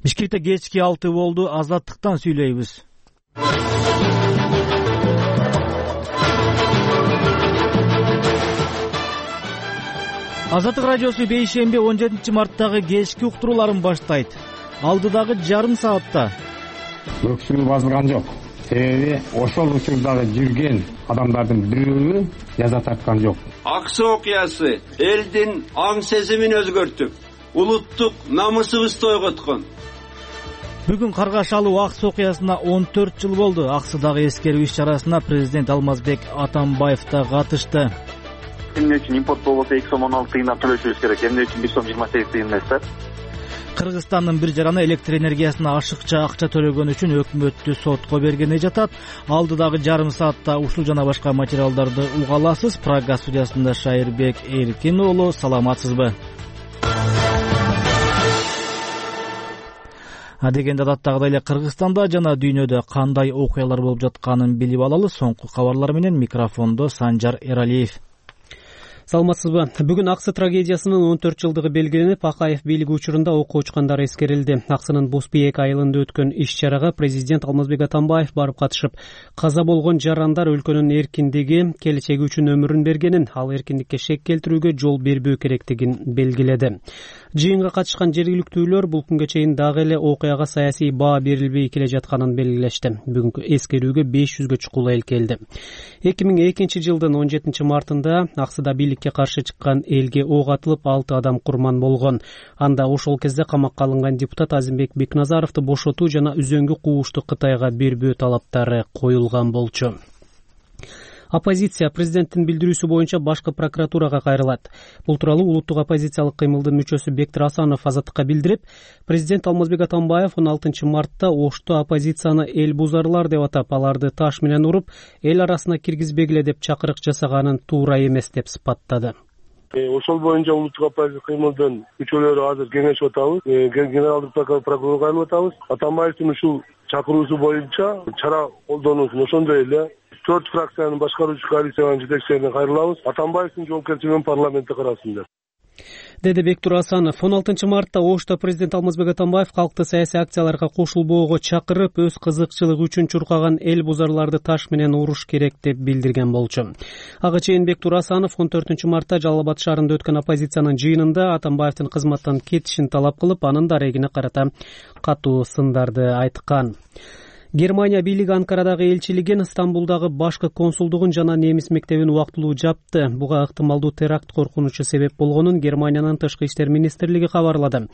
Бишкекте кечки 6 болду. Азаттыктан сүйлөйбүз. Азаттык радиосу бейшемби 17 марттагы кечки уктурууларын баштайт. Алдыдагы жарым саатта өксүгү басылган жок. Себеби ошол учурдагы жүргөн адамдардын бирөө жаза тарткан жок. Аксы окуясы элдин аң сезимин өзгөртүп, улуттук намысыбызды ойготкон. Бүгүн Каргашалуу Аксы окуясына 14 жыл болду. Аксыдагы эскерүү иш-чарасына президент Алмазбек Атамбаев да катышты. Эмне үчүн импорт болбосо 2 сом 16 тыйындан төлөшүбүз керек, эмне үчүн 1 сом 28 тыйын эмес да? Кыргызстандын бир жараны электр энергиясына ашыкча акча төлөгөн үчүн өкмөттү сотко бергени жатат. Алдыдагы жарым саатта ушул жана башка материалдарды уга аласыз. Прага студиясында Шайырбек Эркин уулу, саламатсызбы? Дегенде адаттагыдай эле Кыргызстанда жана дүйнөдө кандай окуялар болуп жатканын билип алалы. Соңку кабарлар менен микрофондо Санжар Эралиев. Саламатсызбы? Бүгүн Аксы трагедиясынын 14 жылдыгы белгиленип, Акаев бийлиги учурунда окуу учкандар эскерилди. Аксынын Бузбийек айылында өткөн иш-чарага президент Алмазбек Атамбаев барып катышып, каза болгон жарандар өлкөнүн эркиндиги, келечеги үчүн өмүрүн бергенин, ал эркиндикке шек келтирүүгө жол бербөө керектигин белгиледи. Жыйынга катышкан жергиликтүүлөр бул күнгө чейин дагы эле окуяга саясий баа берилбей келе жатканын белгилешти. Бүгүнкү эскерүүгө 500гө чукул эл келди. 2002 жылдын 17 мартында Аксыда бийликке каршы чыккан элге ок атылып 6 адам курман болгон. Анда ошол кезде камакка алынган депутат Азимбек Бекназаровду бошотуу жана үзөңгү куушту Кытайга бербөө талаптары коюлган болчу. Оппозиция президенттин билдирүүсү боюнча башкы прокуратурага кайрылат. Бул тууралуу улуттук оппозициялык кыймылдын мүчөсү Бектир Асанов Азаттыкка билдирип, президент Алмазбек Атамбаев 16 мартта Ошто оппозицияны эл бузарлар деп атап, аларды таш менен уруп, эл арасына киргизбегиле деп чакырык жасаганын туура эмес деп сыпаттады. Ошол боюнча улуттук оппозиция кыймылдын мүчөлөрү азыр кеңешип атабыз. Генералдык прокурорго кайрылып атабыз. Атамбаевдин ушул чакыруусу боюнча чара колдонуусун, ошондой эле 4 фракциянын башкаруучу коалициянын жетекчилерине кайрылабыз. Атамбаевдин жоопкерчилигин парламентте карасын деп. Деди Бектир Асанов. 16 мартта Ошто президент Алмазбек Атамбаев калкты саясий акцияларга кошулбоого чакырып, өз кызыкчылыгы үчүн чуркаган эл бузарларды таш менен уруш керек деп билдирген болчу. Ага чейин Бектир Асанов 14 мартта Жалал Абад шаарында өткөн оппозициянын жыйынында Атамбаевдин кызматтан кетишин талап кылып, анын дарегине карата катуу сындарды айткан. Германия бийлиги Анкарадагы элчилигин, Стамбулдагы башкы консулдугун жана немис мектебин убактылуу жапты. Буга ыктымалдуу теракт коркунучу себеп болгонун Германиянын тышкы иштер министрлиги кабарлады.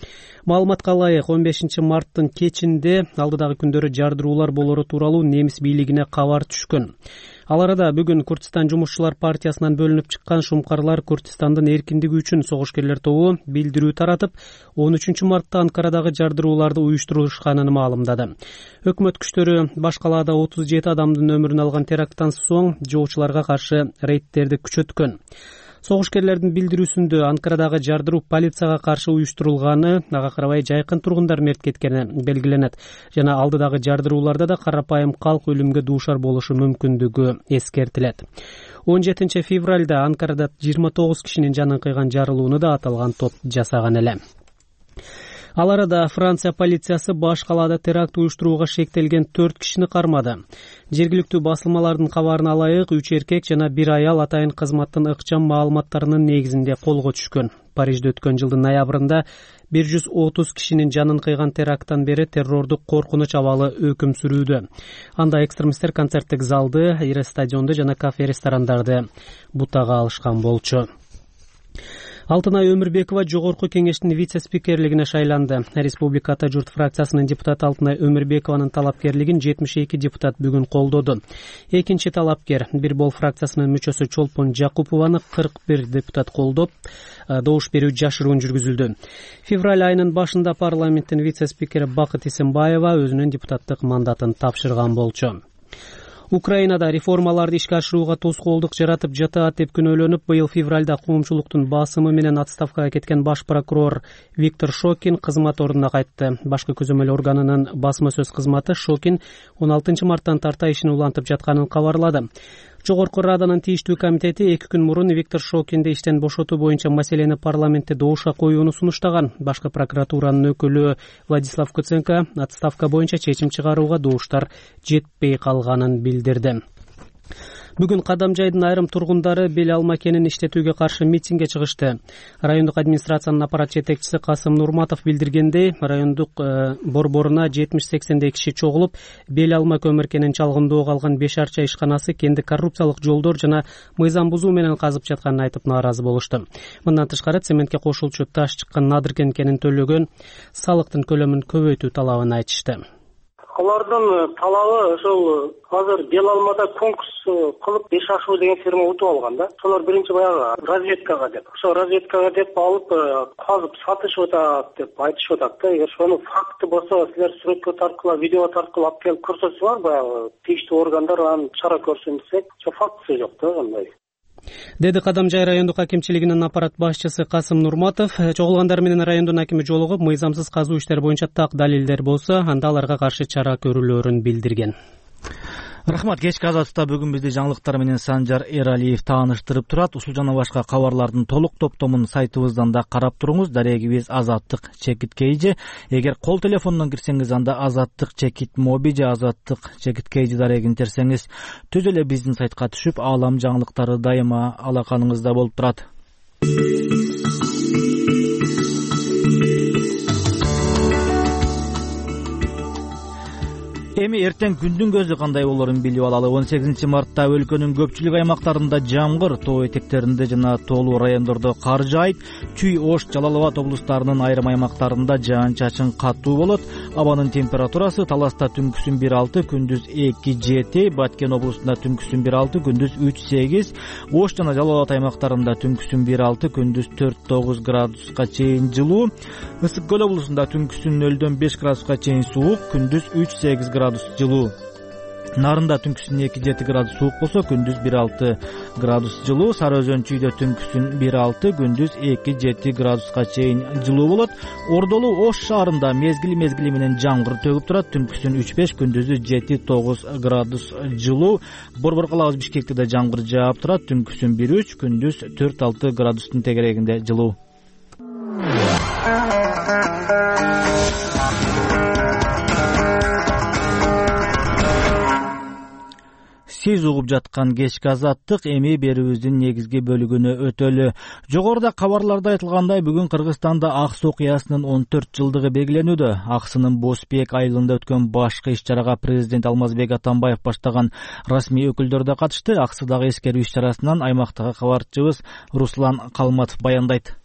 Маалыматка ылайык, 15 марттын кечинде алдыдагы күндөрү жардыруулар болору тууралуу немис бийлигине кабар түшкөн. Ал арада бүгүн Курдистан жумушчулар партиясынан бөлүнүп чыккан Шумкарлар Курдистандын эркиндиги үчүн согушкерлер тобу билдирүү таратып, 13 мартта Анкарадагы жардырууларды уюштурушканын маалымдады. Өкмөт күчтөрү баш калаада 37 адамдын өмүрүн алган теракттан соң жоочуларга каршы рейдтерди күчөткөн. Согушкерлердин билдирүүсүндө Анкарадагы жардыруу полицияга каршы уюштурулганы, ага карабай жайкын тургундар мерт кеткени белгиленет. Жана алдыдагы жардырууларда да карапайым калк өлүмгө дуушар болушу мүмкүндүгү эскертилет. 17 февралда Анкарада 29 кишинин жанын кыйган жарылууну да аталган топ жасаган эле. Ал арада Франция полициясы баш калаада теракт уюштурууга шектелген 4 кишини кармады. Жергиликтүү басылмалардын кабарына ылайык 3 эркек жана 1 аял атайын кызматтын ыкчам маалыматтарынын негизинде колго түшкөн. Парижде өткөн жылдын ноябрында 130 кишинин жанын кыйган теракттан бери террордук коркунуч абалы өкүм сүрүүдө. Анда экстремисттер концерттик залды, ири стадионду жана кафе-ресторандарды бутага алышкан болчу. Алтынай Өмүрбекова жогорку кеңештин вице-спикерлигине шайланды. Республика Ата журт фракциясынын депутаты Алтынай Өмүрбекованын талапкерлигин 72 депутат бүгүн колдоду. Экинчи талапкер Бир Бол фракциясынын мүчөсү Чолпон Жакупованы 41 депутат колдоп, добуш берүү жашыруун жүргүзүлдү. Февраль айынын башында парламенттин вице-спикери Бакыт Исимбаева өзүнүн депутаттык мандатын тапшырган болчу. Украинада реформаларды ишке ашырууга тоскоолдук жаратып жатат деп күнөөлөнүп, быйыл февралда коомчулуктун басымы менен отставкага кеткен баш прокурор Виктор Шокин кызмат ордуна кайтты. Башкы көзөмөл органынын басма сөз кызматы Шокин 16 марттан тарта ишин улантып жатканын кабарлады. Жогорку Раданын тийиштүү комитети 2 күн мурун Виктор Шокинди иштен бошотуу боюнча маселени парламентте добушка коюуну сунуштаган. Башкы прокуратуранын өкүлү Владислав Куценко отставка боюнча чечим чыгарууга добуштар жетпей калганын билдирди. Бүгүн Кадамжайдын айрым тургундары бел алма кенин иштетүүгө каршы митингге чыгышты. Райондук администрациянын аппарат жетекчиси Касым Нурматов билдиргендей, райондук борборуна 70-80 киши чогулуп, бел алма көмүр кенин чалгындоого алган 5 арча ишканасы кенди коррупциялык жолдор жана мыйзам бузуу менен казып жатканын айтып нааразы болушту. Мындан тышкары цементке кошулчу таш чыккан Надыркен кенин төлөгөн салыктын көлөмүн көбөйтүү талабын айтышты. Алардын талабы ошол азыр бел алмада конкурс кылып 5 ашуу деген фирма утуп алган да. Шолор биринчи баягы разведкага деп. Ошо разведкага деп алып казып сатышып атат деп айтышып атат да. Эгер ошонун факты болсо, силер сүрөткө тарткыла, видео тарткыла алып келип көрсөтсөңөр, баягы тийиштүү органдар анын чара көрсүн десек, ошо фактысы жок да андай. Деди Кадамжай райондук акимчилигинин аппарат башчысы Касым Нурматов. Чогулгандар менен райондун акими жолугуп, мыйзамсыз казуу иштери боюнча так далилдер болсо, анда аларга каршы чара көрүлөөрүн билдирген. Рахмат. Кечки азаттыкта бүгүн бизди жаңылыктар менен Санжар Эралиев тааныштырып турат. Ушул жана башка кабарлардын толук топтомун сайтыбыздан да карап туруңуз. Дарегибиз Азаттык чекит KG. Эгер кол телефонунан кирсеңиз, анда Азаттык чекит моби же Азаттык чекит KG дарегин терсеңиз, түз эле биздин сайтка түшүп, аалам жаңылыктары дайыма алаканыңызда болуп турат. Эми эртең күндүн көзү кандай болорун билип алалы. 18 мартта өлкөнүн көпчүлүк аймактарында жамгыр, тоо этектеринде жана тоолуу райондордо кар жаайт. Чүй, Ош, Жалал Абад облустарынын айрым аймактарында жаан-чачын катуу болот. Абанын температурасы Таласта түнкүсүн 1-6, күндүз 2-7, Баткен облусунда түнкүсүн 1-6, күндүз 3-8, Ош жана Жалал Абад аймактарында түнкүсүн 1-6, күндүз 4-9 градуска чейин жылуу. Ысык көл облусунда түнкүсүн 0-5 градуска чейин суук, күндүз 3-8 градус жылуу. Нарында түнкүсүн 2-7 градус суук болсо, күндүз 1-6 градус жылуу. Сары Өзөн Чүйдө түнкүсүн 1-6, күндүз 2-7 градуска чейин жылуу болот. Ордолуу Ош шаарында мезгили менен жамгыр төгүп турат. Түнкүсүн 3-5, күндүзү 7-9 градус жылуу. Борбор калабыз Бишкекте да жамгыр жаап турат. Түнкүсүн 1-3, күндүз 4-6 градустун тегерегинде жылуу. Сиз угуп жаткан кечки азаттык эми берүүбүздүн негизги бөлүгүнө өтөлү. Жогоруда кабарларда айтылгандай, бүгүн Кыргызстанда Аксы окуясынын 14 жылдыгы белгиленүүдө. Аксынын Босбек айылында өткөн башкы иш-чарага президент Алмазбек Атамбаев баштаган расмий өкүлдөр да катышты. Аксыдагы эскерүү иш-чарасынан аймактагы кабарчыбыз Руслан Калматов баяндайт.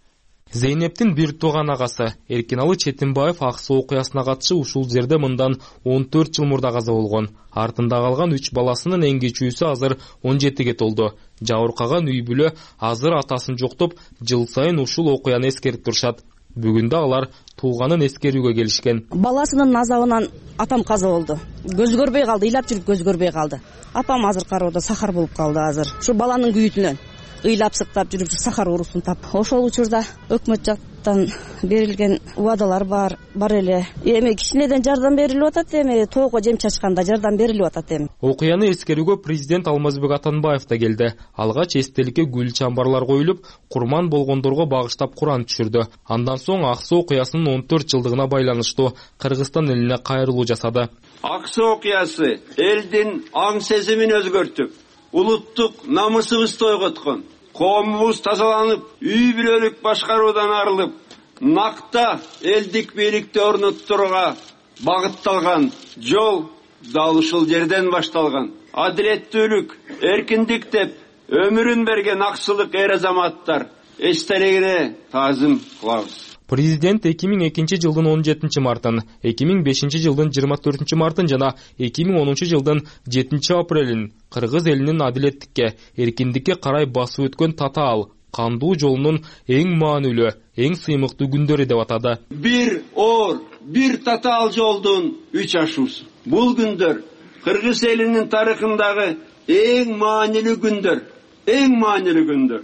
Зейнептин бир тууган агасы Эркиналы Четимбаев Аксы окуясына катышып, ушул жерде мындан 14 жыл мурда каза болгон. Артында калган 3 баласынын эң кичүүсү азыр 17ге толду. Жабыркаган үй бүлө азыр атасын жоктоп, жыл сайын ушул окуяны эскерип турушат. Бүгүн да алар тууганын эскерүүгө келишкен. Баласынын азабынан атам каза болду. Көз көрбөй калды, ыйлап жүрүп көз көрбөй калды. Апам азыр кароодо сахар болуп калды азыр. Ушу баланын күйүтүнөн ыйлап сыктап жүрүп сахар уруусун тап. Ошол учурда өкмөт жактан берилген убадалар бар эле. Эми кичинеден жардам берилип атат, эми тоого жем чачканда жардам берилип атат эми. Окуяны эскерүүгө президент Алмазбек Атамбаев да келди. Алгач эстеликке гүл чамбарлар коюлуп, курман болгондорго багыштап Куран түшүрдү. Андан соң Аксы окуясынын 14 жылдыгына байланыштуу Кыргызстан элине кайрылуу жасады. Аксы окуясы элдин аң сезимин өзгөртүп, улуттук намысыбызды ойготкон. Коомубуз тазаланып, үй бүлөлүк башкаруудан арылып, накта элдик бийликти орноттурууга багытталган жол дал ушул жерден башталган. Адилеттүүлүк, эркиндик деп өмүрүн берген аксылык эр азаматтар эстелигине таазим кылабыз. Президент 2002 жылдын 17 мартын, 2005 жылдын 24 мартын жана 2010 жылдын 7 апрелин Кыргыз элинин адилеттикке, эркиндикке карай басып өткөн татаал, кандуу жолунун эң маанилүү, эң сыймыктуу күндөрү деп атады. Бир оор, бир татаал жолдун 3 ашуусу. Бул күндөр Кыргыз элинин тарыхындагы эң маанилүү күндөр, эң маанилүү күндөр.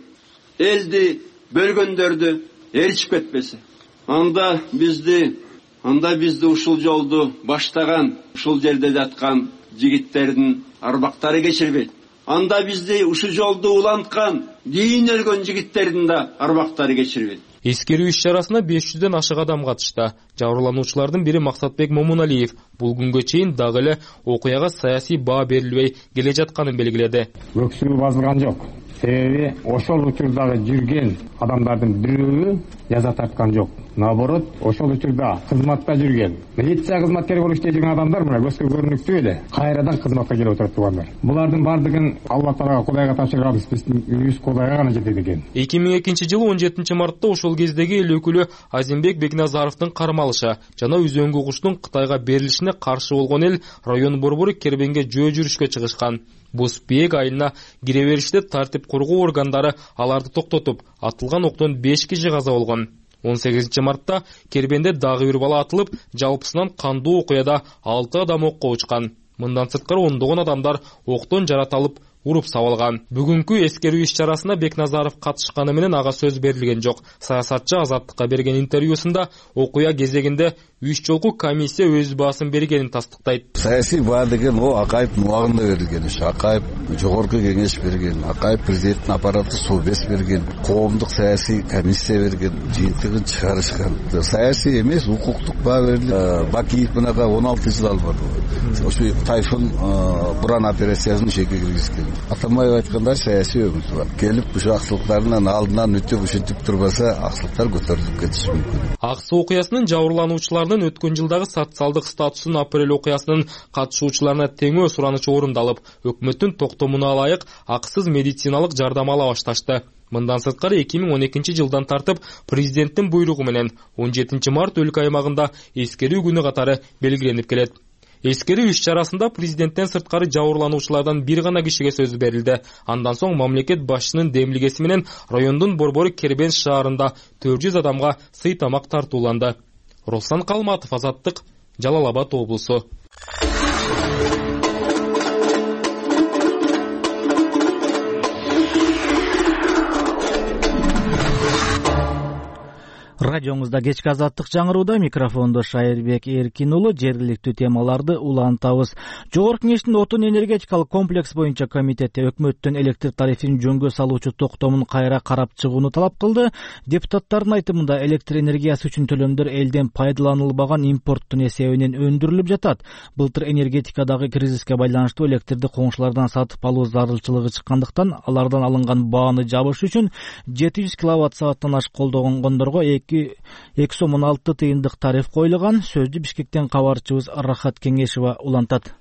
Элди бөлгөндөрдү ээрчип кетпесе. Анда бизди ушул жолду баштаган, ушул жерде жаткан жигиттердин арбактары кечирбейт. анда бизди ушул жолду уланткан, кийин өлгөн жигиттердин да арбактары кечирбейт. Эскерүү иш-чарасына 500дөн ашык адам катышты. Жабырлануучулардын бири Максатбек Момуналиев бул күнгө чейин дагы эле окуяга саясий баа берилбей келе жатканын белгиледи. Өксүгү базылган жок. Себеби ошол учурдагы жүргөн адамдардын бирөө жаза тарткан жок. Наоборот, ошол учурда кызматта жүргөн, милиция кызматкери болуп иштей жүргөн адамдар мына көзгө көрүнүктүү эле кайрадан кызматка келип отуруп тургандар. Булардын бардыгын Алла Таалага, Кудайга тапшырганбыз, биздин үйүбүз Кудайга гана жетет экен. 2002-жылы 17-мартта ошол кездеги эл өкүлү Азимбек Бекназаровдун кармалышы жана үзөңгү куштун Кытайга берилишине каршы болгон эл район борбору Кербенге жөө жүрүшкө чыгышкан. Бузбек айылына кире бериште тартип кургоо органдары аларды токтотуп, атылган октон 5 киши каза болгон. 18-мартта Кербенде дагы бир бала атылып, жалпысынан кандуу окуяда 6 адам окко учкан. Мындан сырткары ондогон адамдар октон жаратылып, уруп сабалган. Бүгүнкү эскерүү иш-чарасына Бекназаров катышканы менен ага сөз берилген жок. Саясатчы Азаттыкка берген интервьюсунда окуя кезегинде 3 жолку комиссия өз баасын бергенин тастыктайт. Саясий баа деген о Акаевдин убагында берилген иш. Акаев жогорку кеңеш берген, Акаев президенттин аппараты Совбез берген, коомдук саясий комиссия берген, жыйынтыгын чыгарышкан. Саясий эмес, укуктук баа берилди. Бакиев мынага 16 жыл албады. Ошо Тайфун буран операциясын шекке киргизген. Атамбаев айткандай саясий өмүр бар. Келип ушул аксылыктардын алдынан өтүп ушинтип турбаса, аксылыктар көтөрүлүп кетиши мүмкүн. Ак Суу окуясынын жабырлануучуларынын өткөн жылдагы социалдык статусун апрель окуясынын катышуучуларына теңөө суранычы орундалып, өкмөттүн токтомуна ылайык акысыз медициналык жардам ала башташты. Мындан сырткары 2012-жылдан тартып президенттин буйругу менен 17 март өлкө аймагында эскерүү күнү катары белгиленип келет. Эскерүү иш-чарасында президенттен сырткары жабырлануучулардан бир гана кишиге сөз берилди. Андан соң мамлекет башчысынын демилгеси менен райондун борбору Кербен шаарында 400 адамга сый тамак тартууланды. Руслан Калматов, Азаттык, Жалал Абад облусу. Радиоңузда кечки Азаттык жаңырууда, микрофондо Шайырбек Эркин уулу. Жергиликтүү темаларды улантабыз. Жогорку Кеңештин отун энергетикалык комплекс боюнча комитети өкмөттүн электр тарифин жөнгө салуучу токтомун кайра карап чыгууну талап кылды. Депутаттардын айтымында электр энергиясы үчүн төлөмдөр элден пайдаланылбаган импорттун эсебинен өндүрүлүп жатат. Былтыр энергетикадагы кризиске байланыштуу электрди коңшулардан сатып алуу зарылчылыгы чыккандыктан, алардан алынган бааны жабыш үчүн 700 киловатт-сааттан ашык колдонгондорго 2,16 тыйындык тариф коюлган. Сөздү Бишкектен кабарчыбыз Рахат Кеңешева улантат.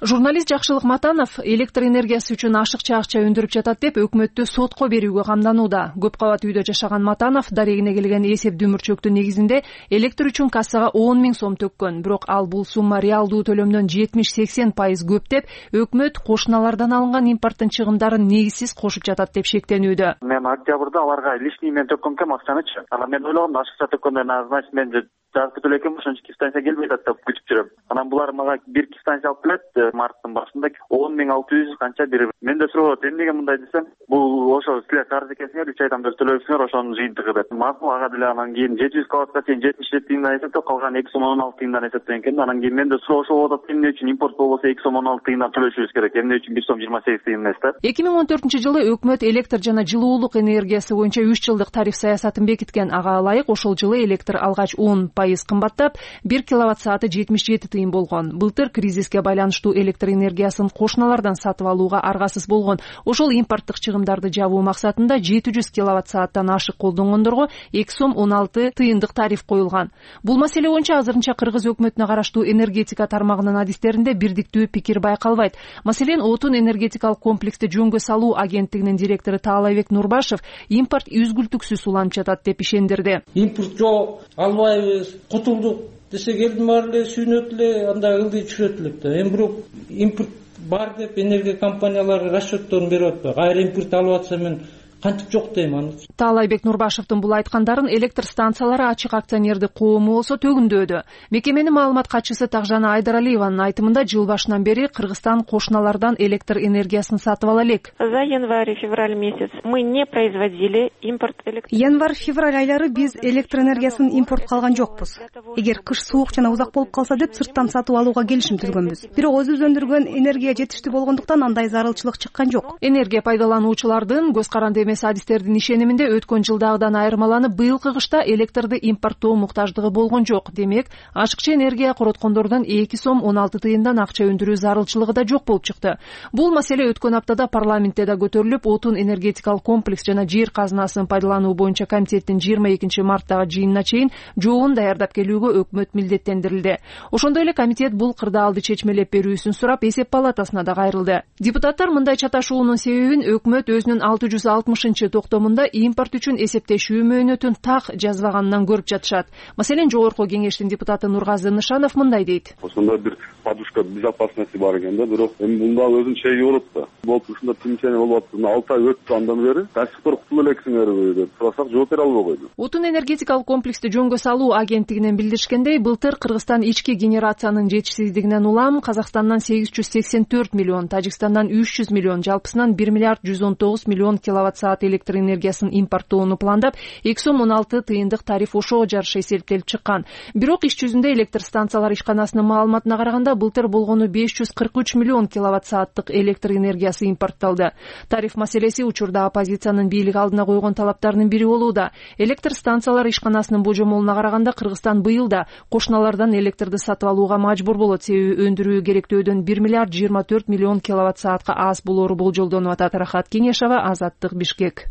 Журналист Жакшылык Матанов электр энергиясы үчүн ашыкча акча өндүрүп жатат деп өкмөттү сотко берүүгө камданууда. Көп кабат үйдө жашаган Матанов дарегине келген эсеп дүмүрчөктүн негизинде электр үчүн кассага 10 000 сом төккөн. Бирок ал бул сумма реалдуу төлөмдөн 70-80% көп деп, өкмөт кошуналардан алынган импорттун чыгымдарын негизсиз кошуп жатат деп шектенүүдө. Мен октябрда аларга лишний мен төккөн экен акчанычы. Анан мен ойлогом ашыкча төккөндөн значит мен жазып төлөйм, ошончо станция келбей атат деп күтүп жүрөм. Анан булар мага бир станция алып келет. Марттын башында 10,600 канча бир. Мен да сурап эмнеге мындай десем, бул ошо силер карыз экенсиңер, 3 айдан бери төлөйсүңөр, ошонун жыйынтыгы деп. Макул ага деле анан кийин 700 киловаттка чейин 77 тыйындан эсептеп, калган 2,16 тыйындан эсептеген экен. Анан кийин мен да ошол атат, эмне үчүн импорт болбосо 2,16 тыйындан төлөшүбүз керек, эмне үчүн 1,28 тыйын эмес да. 2014-жылы өкмөт электр жана жылуулук энергиясы боюнча 3 жылдык тариф саясатын бекиткен. Ага ылайык ошол жылы электр алгач 10% кымбаттап, 1 киловатт-сааты 77 тыйын болгон. Былтыр кризиске байланыштуу электр энергиясын кошуналардан сатып алууга аргасыз болгон. Ошол импорттук чыгымдарды жабуу максатында 700 киловатт-сааттан ашык колдонгондорго 2,16 тыйындык тариф коюлган. Бул маселе боюнча азырынча Кыргыз өкмөтүнө караштуу энергетика тармагынын адистеринде бирдиктүү пикир байкалбайт. Маселен, отун энергетикалык комплексти жөнгө салуу агенттигинин директору Таалайбек Нурбашев импорт үзгүлтүксүз уланып жатат деп ишендирди. Импорт жок, албайбыз, кутулдук десе келдим баары эле сүйүнөт эле, анда ылдый түшөт элек да. Эми бирок импорт бар деп энергия компаниялары расчётторун берип атпайбы. Кайра импорт алып атса мен кантип жок дейм аны. Таалайбек Нурбашевдин бул айткандарын электр станциялары ачык акционердик коому болсо төгүндөдү. Мекеменин маалымат катчысы Тагжана Айдаралиеванын айтымында жыл башынан бери Кыргызстан кошуналардан электр энергиясын сатып ала элек. За январь-февраль месяц мы не производили импорт электр. Январь-февраль айлары биз электр энергиясын импортко алган жокпуз. Эгер кыш суук жана узак болуп калса деп сырттан сатып алууга келишим түзгөнбүз. Бирок өзүбүз өндүргөн энергия жетиштүү болгондуктан андай зарылчылык чыккан жок. Энергия пайдалануучулардын көз каранды эмес адистердин ишениминде өткөн жылдагыдан айырмаланып быйылкы кышта электрди импорттоо муктаждыгы болгон жок. Демек, ашыкчы энергия короткондордон 2 сом 16 тыйындан акча өндүрүү зарылчылыгы да жок болуп чыкты. Бул маселе өткөн аптада парламентте да көтөрүлүп, отун энергетикалык комплекс жана жер казынасын пайдалануу боюнча комитеттин 22 марттагы жыйынына чейин жообун даярдап келүүгө өкмөт милдеттендирилди. Ошондой эле комитет бул кырдаалды чечмелеп берүүсүн сурап эсеп палатасына да кайрылды. Депутаттар мындай чаташуунун себебин өкмөт өзүнүн 660-токтомунда импорт үчүн эсептешүү мөөнөтүн так жазбаганынан көрүп жатышат. Маселен, жогорку кеңештин депутаты Нургазы Нышанов мындай дейт. Ошондой бир подушка безопасности бар экен да, бирок эми мында өзүнүн чеги болот да. Болуп ушунда тинчене болуп атты. 6 ай өттү андан бери. Кайсыктыр кутулуп элексиңерби деп сурасак жооп бере албай койду. Отун энергетикалык комплексти жөнгө салуу агенттигинен билдиришкендей, былтыр Кыргызстан ички генерациянын жетишсиздигинен улам Казакстандан 884 миллион, Тажикстандан 300 миллион, жалпысынан 1 миллиард 119 миллион киловатт-саат электр энергиясын импорттоону пландап, 2 сом 16 тыйындык тариф ошого жараша эсептелип чыккан. Бирок иш жүзүндө электр станциялар ишканасынын маалыматына караганда былтыр болгону 543 миллион киловатт-сааттык электр энергиясы импортталды. Тариф маселеси учурда оппозициянын бийлик алдына койгон талаптарынын бири болууда. Электр станциялар ишканасынын божомолуна караганда Кыргызстан быйыл да кошуналардан электрди сатып алууга мажбур болот, себеби өндүрүү керектөөдөн 1 миллиард 24 миллион киловатт-саатка аз болору болжолдонуп атат. Рахат Кеңешова, Азаттык, Бишкек.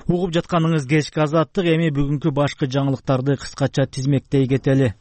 Угуп жатканыңыз кечки Азаттык. Эми бүгүнкү башкы жаңылыктарды кыскача тизмектей кетели.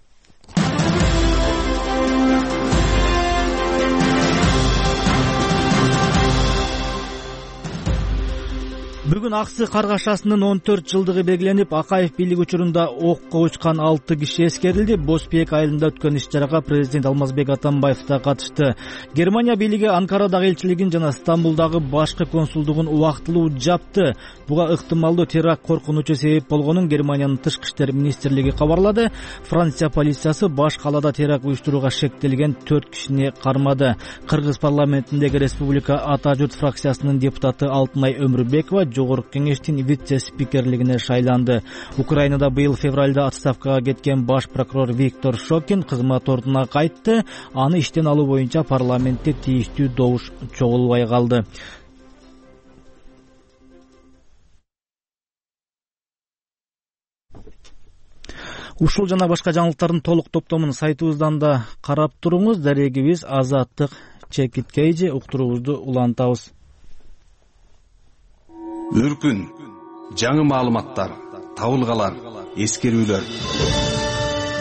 Бүгүн Аксы каргашасынын 14 жылдыгы белгиленип, Акаев бийлик учурунда окко учкан 6 киши эскерилди. Босбек айылында өткөн иш-чарага президент Алмазбек Атамбаев да катышты. Германия бийлиги Анкарадагы элчилигин жана Стамбулдагы башкы консулдугун убактылуу жапты. Буга ыктымалдуу теракт коркунучу себеп болгонун Германиянын тышкы иштер министрлиги кабарлады. Франция полициясы баш калаада теракт уюштурууга шектелген 4 кишини кармады. Кыргыз парламентиндеги Республика Ата журт фракциясынын депутаты Алтынай Өмүрбекова жогорку кеңештин вице-спикерлигине шайланды. Украинада быйыл февралда отставкага кеткен баш прокурор Виктор Шокин кызмат ордуна кайтты. Аны иштен алуу боюнча парламентте тийиштүү добуш чогулбай калды. Ушул жана башка жаңылыктардын толук топтомун сайтыбыздан да карап туруңуз. Дарегибиз Азаттык Чекиткейжи, уктуруубузду улантабыз. Үркүн, жаңы маалыматтар, табылгалар, эскерүүлөр.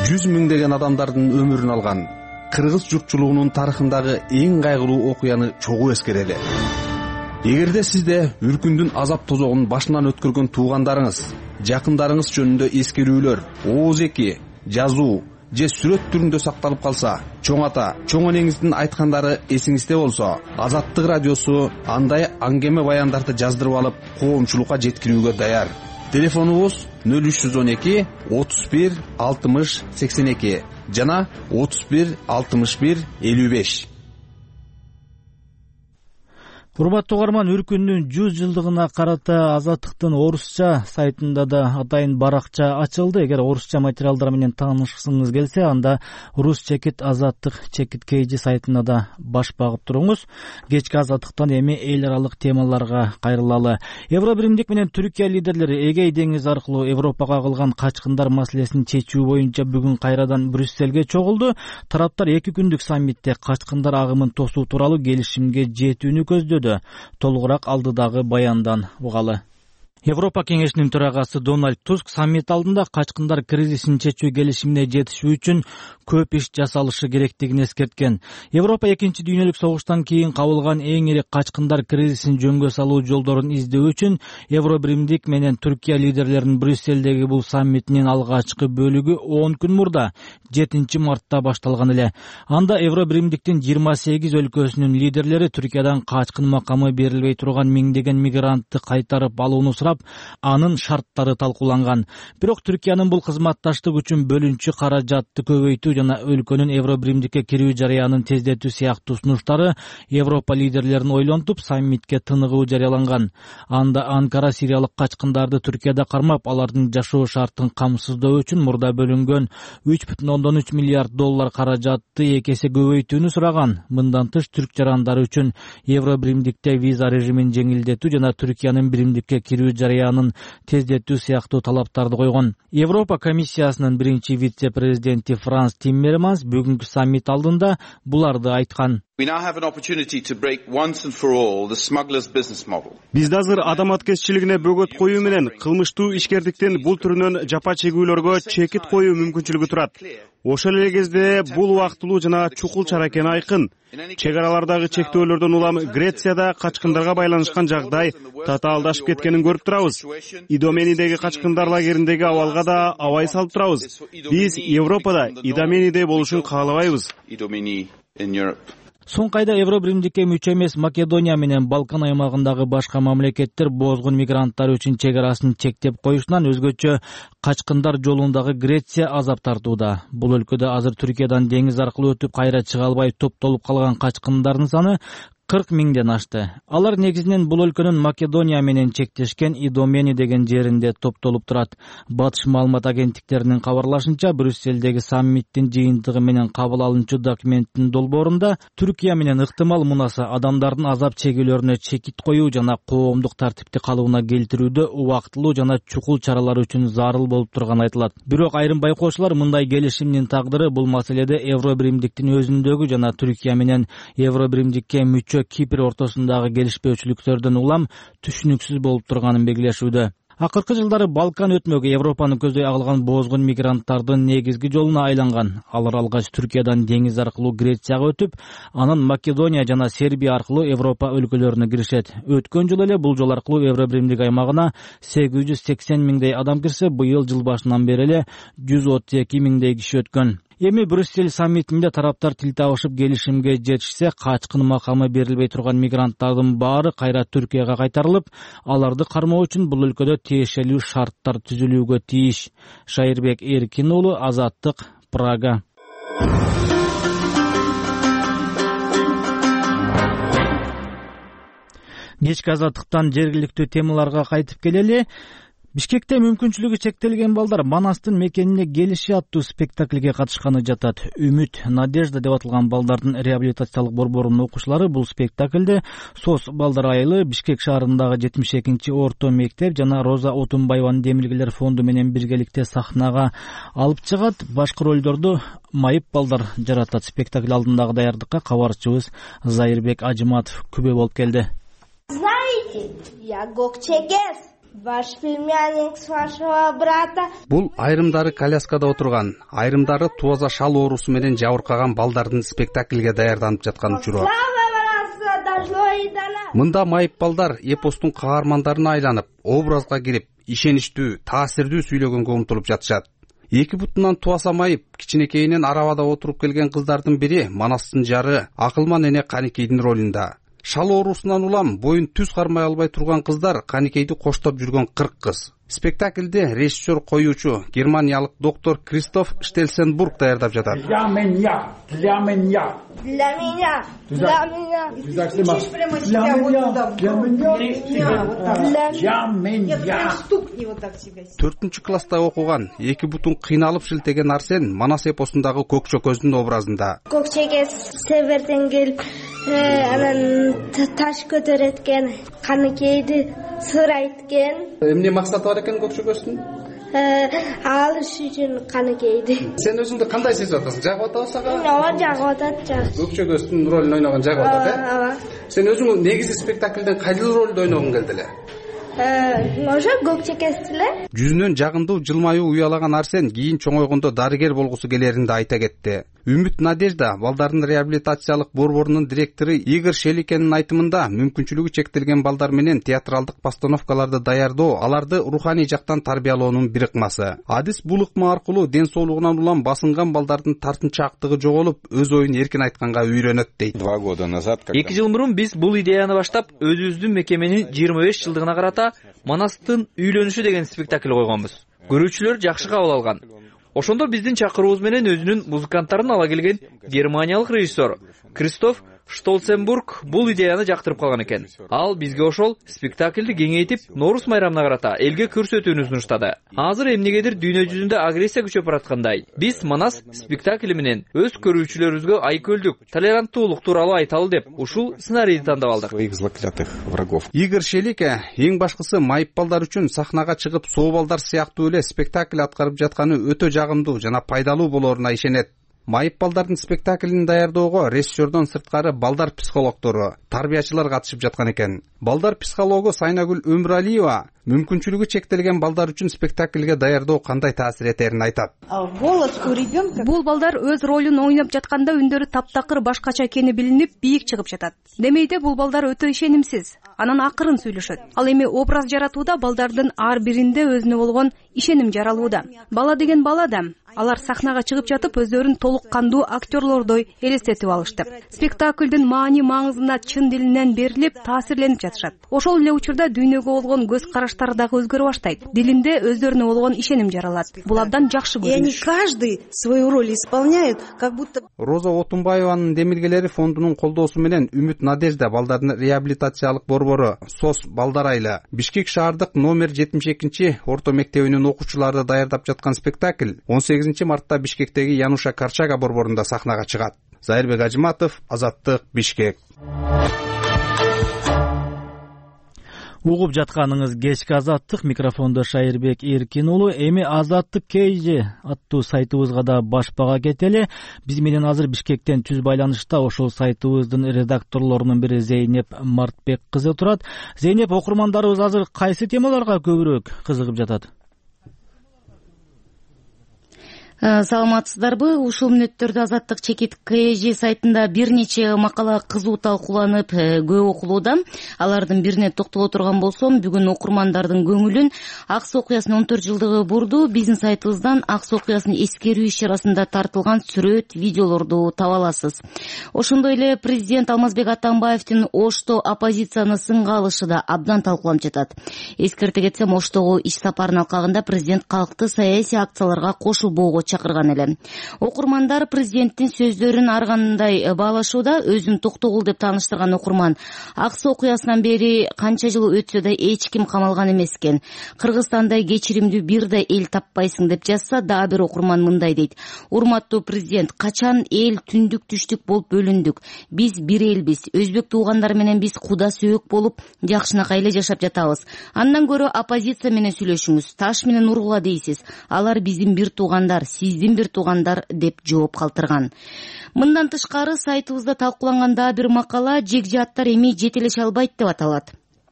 100 миңдеген адамдардын өмүрүн алган кыргыз журтчулугунун тарыхындагы эң кайгылуу окуяны чогуу эскерели. Эгерде сизде үркүндүн азап тозогун башынан өткөргөн туугандарыңыз, жакындарыңыз жөнүндө эскерүүлөр, ооз эки, жазуу же сүрөт түрүндө сакталып калса, чоң ата, чоң энеңиздин айткандары эсиңизде болсо, Азаттык радиосу андай аңгеме баяндарды жаздырып алып, коомчулукка жеткирүүгө даяр. Телефонубуз 0312 31 60 82 жана 31 61 55. Урматтуу угарман, Үркүндүн 100 жылдыгына карата Азаттыктын орусча сайтында да атайын баракча ачылды. Эгер орусча материалдар менен таанышкыңыз келсе, анда Рус чекит Азаттык Чекиткейжи сайтына да баш багып туруңуз. Кечки Азаттыктан эми эл аралык темаларга кайрылалы. Евробиримдик менен Түркия лидерлери Эгей деңизи аркылуу Европага кылган качкындар маселесин чечүү боюнча бүгүн кайрадан Брюссельге чогулду. Тараптар 2 күндүк саммитте качкындар агымын тосуу тууралуу келишимге жетүүнү көздөдү. Толугураак алдыдагы баяндан угалы. Европа кеңешинин төрагасы Дональд Туск саммит алдында качкындар кризисин чечүү келишимине жетишүү үчүн көп иш жасалышы керектигин эскерткен. Европа экинчи дүйнөлүк согуштан кийин кабылган эң ири качкындар кризисин жөнгө салуу жолдорун издөө үчүн Евробиримдик менен Түркия лидерлеринин Брюсселдеги бул саммитинин алгачкы бөлүгү 10 күн мурда 7 мартта башталган эле. Анда Евробиримдиктин 28 өлкөсүнүн лидерлери Түркиядан качкын макамы берилбей турган миңдеген мигрантты кайтарып алууну сурап, анын шарттары талкууланган. Бирок Түркиянын бул кызматташтык үчүн бөлүнчү каражатты көбөйтүү жана өлкөнүн Евробиримдикке кирүү жарыянын тездетүү сыяктуу сунуштары Европа лидерлерин ойлонтуп, саммитке тыныгуу жарыяланган. Анда Анкара сириялык качкындарды Түркияда кармап, алардын жашоо шартын камсыздоо үчүн мурда бөлүнгөн $3.3 миллиард каражатты 2 эсе көбөйтүүнү сураган. Мындан тыш түрк жарандары үчүн Евробиримдикте виза режимин жеңилдетүү жана Түркиянын биримдикке кирүү жарыянын тездетүү сыяктуу талаптарды койгон. Европа комиссиясынын биринчи вице-президенти Франс Тиммерманс бүгүнкү саммит алдында буларды айткан. Бизде азыр адаматкерчилигине бөгөт коюу менен кылмыштуу ишкердиктин бул түрүнөн жапа чегүүлөргө чекит коюу мүмкүнчүлүгү турат. Ошол эле кезде бул убактылуу жана чукул чара экени айкын. Чек аралардагы чектөөлөрдөн улам Грецияда качкындарга байланышкан жагдай татаалдашып кеткенин көрүп турабыз. Идоменидеги качкындар лагериндеги абалга да абай салып турабыз. Биз Европада Идоменидей болушун каалабайбыз. Соңку айда Евробиримдикке мүчө эмес Македония менен Балкан аймагындагы башка мамлекеттер бозгун мигранттар үчүн чек арасын чектеп коюшунан өзгөчө качкындар жолундагы Греция азап тартууда. Бул өлкөдө азыр Түркиядан деңиз аркылуу өтүп кайра чыга албай топтолуп калган качкындардын саны 40 миңден ашты. Алар негизинен бул өлкөнүн Македония менен чектешкен Идомени деген жеринде топтолуп турат. Батыш маалымат агенттиктеринин кабарлашынча, Брюсселдеги саммиттин жыйынтыгы менен кабыл алынчу документтин долбоорунда Түркия менен ыктымал мунасы адамдардын азап чегүүлөрүнө чекит коюу жана коомдук тартипти калыбына келтирүүдө убактылуу жана чукул чаралар үчүн зарыл болуп турганы айтылат. Бирок айрым байкоочулар мындай келишимдин тагдыры бул маселеде Евробиримдиктин өзүндөгү жана Түркия менен Евробиримдикке мүчө Кипр ортосундагы келишпөөчүлүктөрдөн улам түшүнүксүз болуп турганын белгилешүүдө. Акыркы жылдары Балкан өтмөгү Европаны көздөй агылган бозгун мигранттардын негизги жолуна айланган. Алар алгач Түркиядан деңиз аркылуу Грецияга өтүп, анан Македония жана Сербия аркылуу Европа өлкөлөрүнө киришет. Өткөн жыл эле бул жол аркылуу Евробиримдик аймагына 880 миңдей адам кирсе, быйыл жыл башынан бери эле 132 миңдей киши өткөн. Эми Брюссель саммитинде тараптар тил табышып келишимге жетишсе, качкын макамы берилбей турган мигранттардын баары кайра Түркияга кайтарылып, аларды кармоо үчүн бул өлкөдө тиешелүү шарттар түзүлүүгө тийиш. Шайырбек Эркин уулу, Азаттык, Прага. Кечки Азаттыктан жергиликтүү темаларга кайтып келели. Бишкекте мүмкүнчүлүгү чектелген балдар Манастын мекенине келиши аттуу спектаклге катышканы жатат. Үмүт, Надежда деп аталган балдардын реабилитациялык борборунун окуучулары бул спектаклде СОС балдар айылы, Бишкек шаарындагы 72 орто мектеп жана Роза Отунбаеванын Демилгелер фонду менен биргеликте сахнага алып чыгат. Башкы ролдорду майып балдар жаратат. Спектакль алдындагы даярдыкка кабарчыбыз Зайырбек Ажыматов күбө болуп келди. Знаете, я Гокчегес. Ваш племянник с вашего брата. Бул айрымдары коляскада отурган, айрымдары туаза шал оорусу менен жабыркаган балдардын спектаклге даярданып жаткан учуру. Мында майып балдар эпостун каармандарына айланып, образга кирип, ишеничтүү, таасирдүү сүйлөгөнгө умтулуп жатышат. Эки бутунан туаса майып, кичинекейинен арабада отуруп келген кыздардын бири Манастын жары Акылман эне Каникейдин ролунда. Шал оорусунан улам боюн түз кармай албай турган кыздар Каникейди коштоп жүргөн 40 кыз. Спектаклде режиссер коюучу германиялык доктор Кристоф Штельсенбург даярдап жатат. Для меня. Төртүнчү класста окуган, эки бутун кыйналып шилтеген Арсен Манас эпосундагы Көкчөкөздүн образында. Көкчөгөз северден келип, анан таш көтөрөткен, Каникейди сурайткен. Эмне максаты бар экен Көкчөкөздүн? Алыш үчүн Каникейди. Сен өзүңдү кандай сезип атасың? Жагып атабы сага? Ооба, жагып атат, жакшы. Көкчөкөздүн ролун ойногон жагып атат, Ооба. Сен өзүң негизи спектаклден кайдыл ролду ойногуң келди эле? ошо көк чекесиз эле. Жүзүнөн жагымдуу жылмаюу уялаган Арсен кийин чоңойгондо дарыгер болгусу келерин да айта кетти. Үмүт Надежда балдардын реабилитациялык борборунун директору Игорь Шеликенин айтымында мүмкүнчүлүгү чектелген балдар менен театралдык постановкаларды даярдоо аларды руханий жактан тарбиялоонун бир ыкмасы. Адис бул ыкма аркылуу ден соолугунан улам басынган балдардын тартынчаактыгы жоголуп, өз оюн эркин айтканга үйрөнөт дейт. 2 года назад 2 жыл мурун биз бул идеяны баштап, өзүбүздүн мекеменин 25 жылдыгына карата Манастын үйлөнүшү деген спектакль койгонбуз. Көрүүчүлөр жакшы кабыл алган. Ошондо биздин чакыруубуз менен өзүнүн музыканттарын ала келген германиялык режиссер Кристоф Штолценбург бул идеяны жактырып калган экен. Ал бизге ошол спектакльди кеңейтип, Норус майрамына карата элге көрсөтүүнү сунуштады. Азыр эмнегедир дүйнө жүзүндө агрессия күчөп бараткандай, биз Манас спектакли менен өз көрүүчүлөрүбүзгө айкөлдүк, толеранттуулук тууралуу айталы деп ушул сценарийди тандап алдык. Игорь Шелике эң башкысы майып балдар үчүн сахнага чыгып сообалдар сыяктуу эле спектакль аткарып жатканы өтө жагымдуу жана пайдалуу болоруна ишенет. Майып балдардын спектаклин даярдоого режиссердон сырткары балдар психологдору, тарбиячылар катышып жаткан экен. Балдар психологу Сайнагүл Өмүралиева мүмкүнчүлүгү чектелген балдар үчүн спектакльге даярдоо кандай таасир этерин айтат. Бул балдар өз ролун ойноп жатканда үндөрү таптакыр башкача экени билинип, бийик чыгып жатат. Демейде бул балдар өтө ишенимсиз, анан акырын сүйлөшөт. Ал эми образ жаратууда балдардын ар биринде өзүнө болгон ишеним жаралууда. Бала деген бала да. Алар сахнага чыгып жатып өздөрүн толук кандуу актерлордой элестетип алышты. Спектаклдын маани маңызына чын дилинен берилип, таасирленип жатышат. Ошол эле учурда дүйнөгө болгон көз караштары дагы өзгөрө баштайт. Дилинде өздөрүнө болгон ишеним жаралат. Бул абдан жакшы көрүнүш. И они каждый свою роль исполняют, как будто. Роза Отунбаеванын Демиргелери фондунун колдоосу менен Үмүт Надежда балдардын реабилитациялык борбору СОС балдар айылы Бишкек шаардык номер 72 орто мектебинин окуучулары даярдап жаткан спектакль 18 мартта Бишкектеги Януша Карчага борборунда сахнага чыгат. Зайырбек Ажыматов, Азаттык, Бишкек. Угуп жатканыңыз кечки Азаттык, микрофондо Шайырбек Эркин уулу. Эми Азаттык KG аттуу сайтыбызга да баш бага кетели. Биз менен азыр Бишкектен түз байланышта ошол сайтыбыздын редакторлорунун бири Зейнеп Мартбек кызы турат. Зейнеп, окурмандарыбыз азыр кайсы темаларга көбүрөөк кызыгып жатат? Саламатсыздарбы? Ушул мүнөттөрдө Азаттык чекит KG сайтында бир нече макала кызуу талкууланып, көп окулууда. Алардын бирине токтоло турган болсом, бүгүн окурмандардын көңүлүн Ак Суу окуясынын 14 жылдыгы бурду. Биздин сайтыбыздан Ак Суу окуясын эскерүү иш-чарасында тартылган сүрөт, видеолорду таба аласыз. Ошондой эле президент Алмазбек Атамбаевдин Ошто оппозицияны сынга алышы да абдан талкууланып жатат. Эскерте кетсем, Оштогу иш сапарынын алкагында президент калкты саясий акцияларга кошулбоого чакырган эле. Окурмандар президенттин сөздөрүн ар кандай баалашууда. Өзүн токтогул деп тааныштырган окурман Ак Суу окуясынан бери канча жыл өтсө да эч ким камалган эмес экен. Кыргызстандай кечиримдүү бир да эл таппайсың деп жазса, дагы бир окурман мындай дейт: урматтуу президент, качан эл түндүк түштүк болуп бөлүндүк. Биз бир элбиз. Өзбек туугандар менен биз куда сөөк болуп жакшынакай эле жашап жатабыз. Андан көрө оппозиция менен сүйлөшүңүз. Таш менен ургула дейсиз. Алар биздин бир туугандар, сиздин бир туугандар деп жооп калтырган. Мындан тышкары сайтыбызда талкууланган дагы бир макала жекжааттар эми жетелеше албайт деп аталат.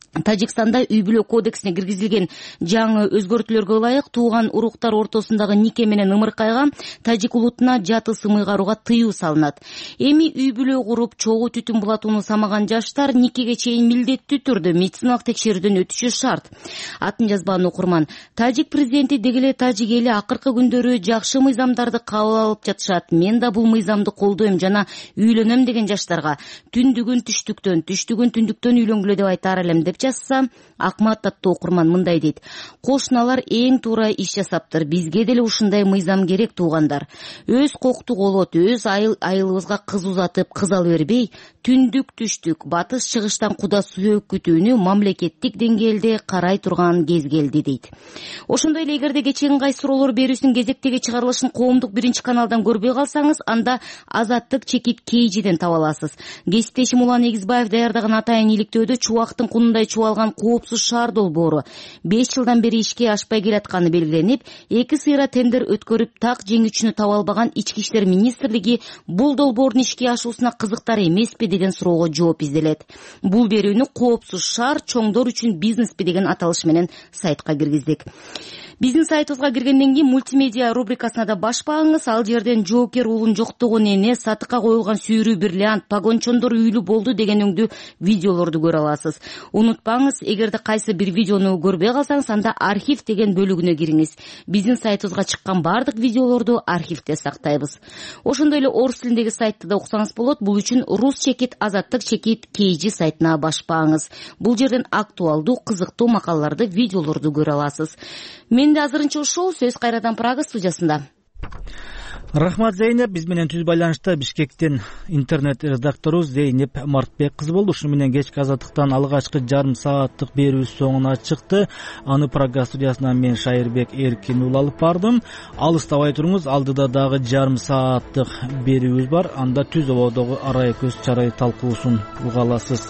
Тажикстанда үй бүлө кодексине киргизилген жаңы өзгөртүүлөргө ылайык тууган уруктар ортосундагы нике менен ымыркайга тажик улутуна жаты сымый карууга тыюу салынат. Эми үй бүлө куруп чогуу түтүн булатууну самаган жаштар никеге чейин милдеттүү түрдө медициналык текшерүүдөн өтүшү шарт. Атын жазбаган окурман. Тажик президенти деги эле тажик эли акыркы күндөрү жакшы мыйзамдарды кабыл алып жатышат. Мен да бул мыйзамды колдойм жана үйлөнөм деген жаштарга түндүгүн түштүктөн, түштүгүн түндүктөн үйлөнгүлө деп айтаар элем деп жазса, Акмат аттуу окурман мындай дейт: кошуналар эң туура иш жасаптыр. Бизге деле ушундай мыйзам керек, туугандар. Өз кокту колот, өз айылыбызга кыз узатып, кыз ала бербей, түндүк түштүк, батыш чыгыштан куда сөөк күтүүнү мамлекеттик деңгээлде карай турган кез келди дейт. Ошондой эле эгерде кечээкин кайсы суроолор берүүсүнүн кезектеги чыгарылышын коомдук биринчи каналдан көрбөй калсаңыз, анда Азаттык чекит KGден таба аласыз. Кесиптешим Улан Эгизбаев даярдаган атайын иликтөөдө чубактын кунундай чубалган коопсуз шаар долбоору 5 жылдан бери ишке ашпай келатканы белгиленип, 2 сыйра тендер өткөрүп так жеңүүчүнү таба албаган Ички иштер министрлиги бул долбоордун ишке ашуусуна кызыктар эмеспи деген суроого жооп изделет. Бул берүүнү коопсуз шаар чоңдор үчүн бизнеспи деген аталыш менен сайтка киргиздик. Биздин сайтыбызга киргенден кийин мультимедиа рубрикасына да баш багыңыз. Ал жерден жоокер уулун жоктогон эне, сатыкка коюлган сүйрүү бриллиант, погончондор үйлүү болду деген өңдүү видеолорду көрө аласыз. Унутпаңыз, эгерде кайсы бир видеону көрбөй калсаңыз, анда архив деген бөлүгүнө кириңиз. Биздин сайтыбызга чыккан бардык видеолорду архивде сактайбыз. Ошондой эле орус тилиндеги сайтты да уксаңыз болот. Бул үчүн Рус чекит Азаттык чекит KG сайтына баш багыңыз. Бул жерден актуалдуу, кызыктуу макалаларды, видеолорду көрө аласыз. Менде азырынча ушул. Сөз кайрадан Прага студиясында. Рахмат, Зейнеп. Биз менен түз байланышта Бишкектен интернет редактору Зейнеп Мартбек кызы болду. Ушуну менен кечки Азаттыктан алгачкы жарым сааттык берүүбүз соңуна чыкты. Аны Прага студиясынан мен Шайырбек Эркин уулу алып бардым. Алыстабай туруңуз, алдыда дагы жарым сааттык берүүбүз бар. Анда түз абадагы арай көз чарай талкуусун уга аласыз.